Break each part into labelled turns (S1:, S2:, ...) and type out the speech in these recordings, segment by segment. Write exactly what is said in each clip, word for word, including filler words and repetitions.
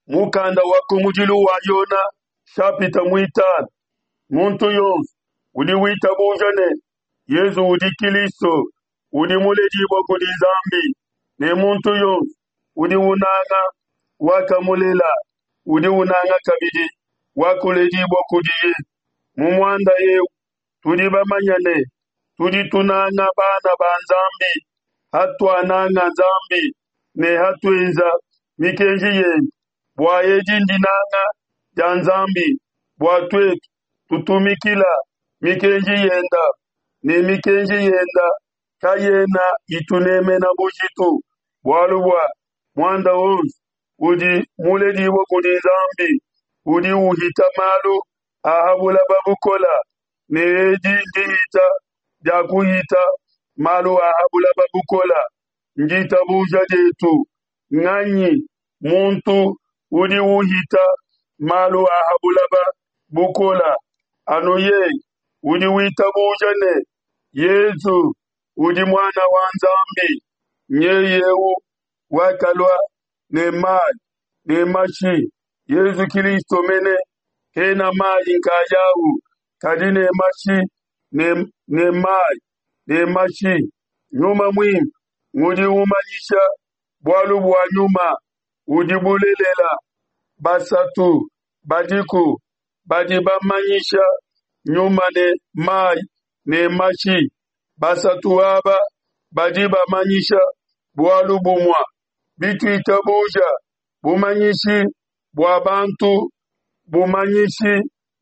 S1: Mukanda wa kumudilu wa Yona shapita muitanu. Muntu yonso udi witabuja ne Yezu udi Kilisto udi muledibua kudi Nzambi, ne muntu yonso udi unanga wakamulela udi unanga kabidi wakuledibua kudiye. Mu muanda eu tudi bamanya ne tudi tunanga bana ba Nzambi, hatuananga Nzambi ne hatuenza mikenji yende. Bua edi ndinanga dia Nzambi, bua tuetu tutumikila mikenji yenda, ne mikenji yenda kayena itunemena bujitu, bualu bua muanda wonso udi muledibue kudi Nzambi udi uhita malu a ha buloba bukola, ne edi ndihita dia kuhita malu a ha buloba bukola, nditabuja dietu. Nganyi muntu udi uhita malu a ha buloba bukola? Anu yeye udi witabuja ne Yezu udi Muana wa Nzambi. Nyeye eu wakalua ne mayi ne mashi, Yezu Kilisto mene, kena mayi nkayawu, kadi ne mashi ne, ne mayi ne mashi. Nyuma Muimpe ngudi umanyisha bualu bua Nyuma udi bulelela. Basatu badiku badi bamanyisha Nyuma ne mayi ne mashi. Basatu aba badi bamanyisha bualu bumue. Bituitabuja bumanyishi bua bantu, bumanyishi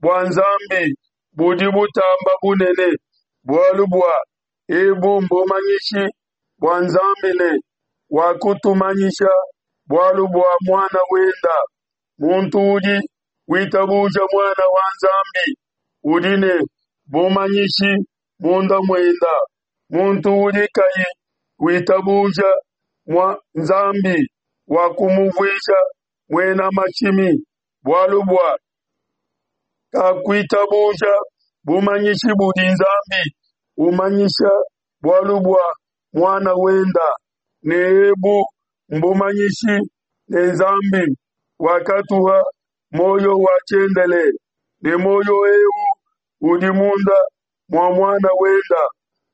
S1: bua Nzambi budi butamba bunene, bualu bua ebu mbumanyishi bua Nzambi ne wakutumanyisha bualu bua Muana wenda. Muntu udi witabuja Muana wa Nzambi udi ne bumanyishi munda muenda. Muntu udi kayi witabuja mua Nzambi wakumuvuija muena mashimi, bualu bua kakuitabuja bumanyishi budi Nzambi umanyisha bualu bua Muana wenda. Ne ebu mbumanyishi ne Nzambi wakatuha muoyo wa tshiendelele, ne muoyo eu udi munda mua Muana wenda.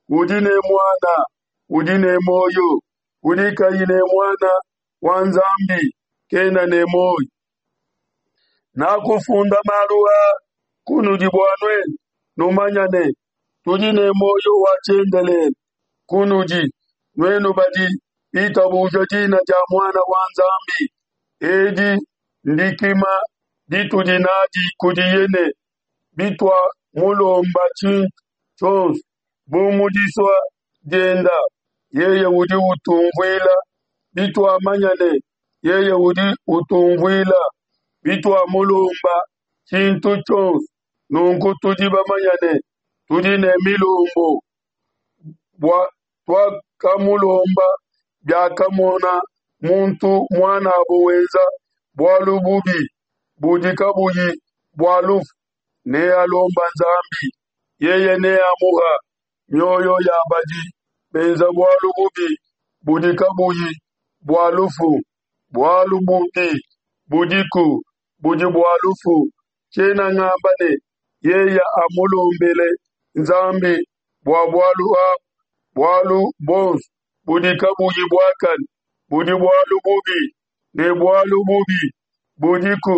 S1: Udi ne Muana udi ne muoyo, udi kayi ne Muana wa Nzambi kena ne muoyo. Nakufunda malu aa kunudi bua nuenu numanya ne tudi ne muoyo wa tshiendelele kunudi nuenu badi bitabuja dina dia Muana wa Nzambi. Edi ndikima ditudi nadi kudiye ne bituamulomba tshintu tshionso bu mu disua dienda, yeye udi utumvuila. Bituamanya ne yeye udi utumvuila, bituamulomba tshintu tshionso, nunku tudi bamanya ne tudi ne milombu bua tuakamulomba. Biakamona muntu muanabo wenza bualu bubi budi kabuyi bua lufu, nealomba Nzambi, yeye neamuha mioyo ya badi benza bualu bubi budi kabuyi bua lufu. Bualu bubi budiku budi bua lufu. Tshiena ngamba ne yeye amulombele Nzambi bua bualu abu. Bualu buonso budi kabuyi buakane budi bualu bubi, ne bualu bubi budiku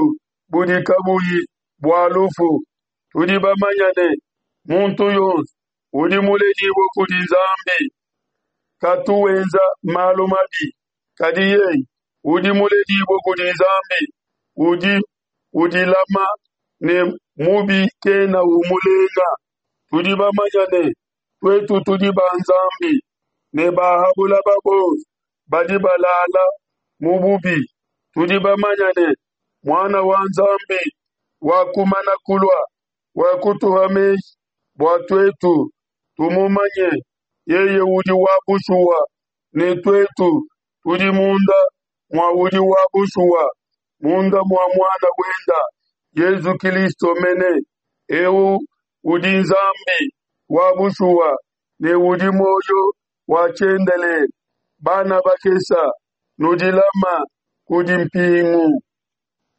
S1: budi kabuyi bua lufu. Tudi bamanya ne muntu yonso udi muledibue kudi Nzambi katu wenza malu mabi, kadi yeye udi muledibue kudi Nzambi udi udilama, ne mubi kena umulenga. Tudi bamanya ne tuetu tudi ba Nzambi, ne ba ha buloba bonso badi balala mu bubi. Tudi bamanya ne Muana wa Nzambi wakumana kulua, wakutuha meji bua tuetu tumumanye. Yeye udi wa bushuwa, ne tuetu tudi munda mua udi wa bushuwa, munda mua Muana wenda Yezu Kilisto mene. Eu udi Nzambi wa bushuwa ne udi muoyo wa tshiendelele. Bana bakesa, nudilama kudi mpingu.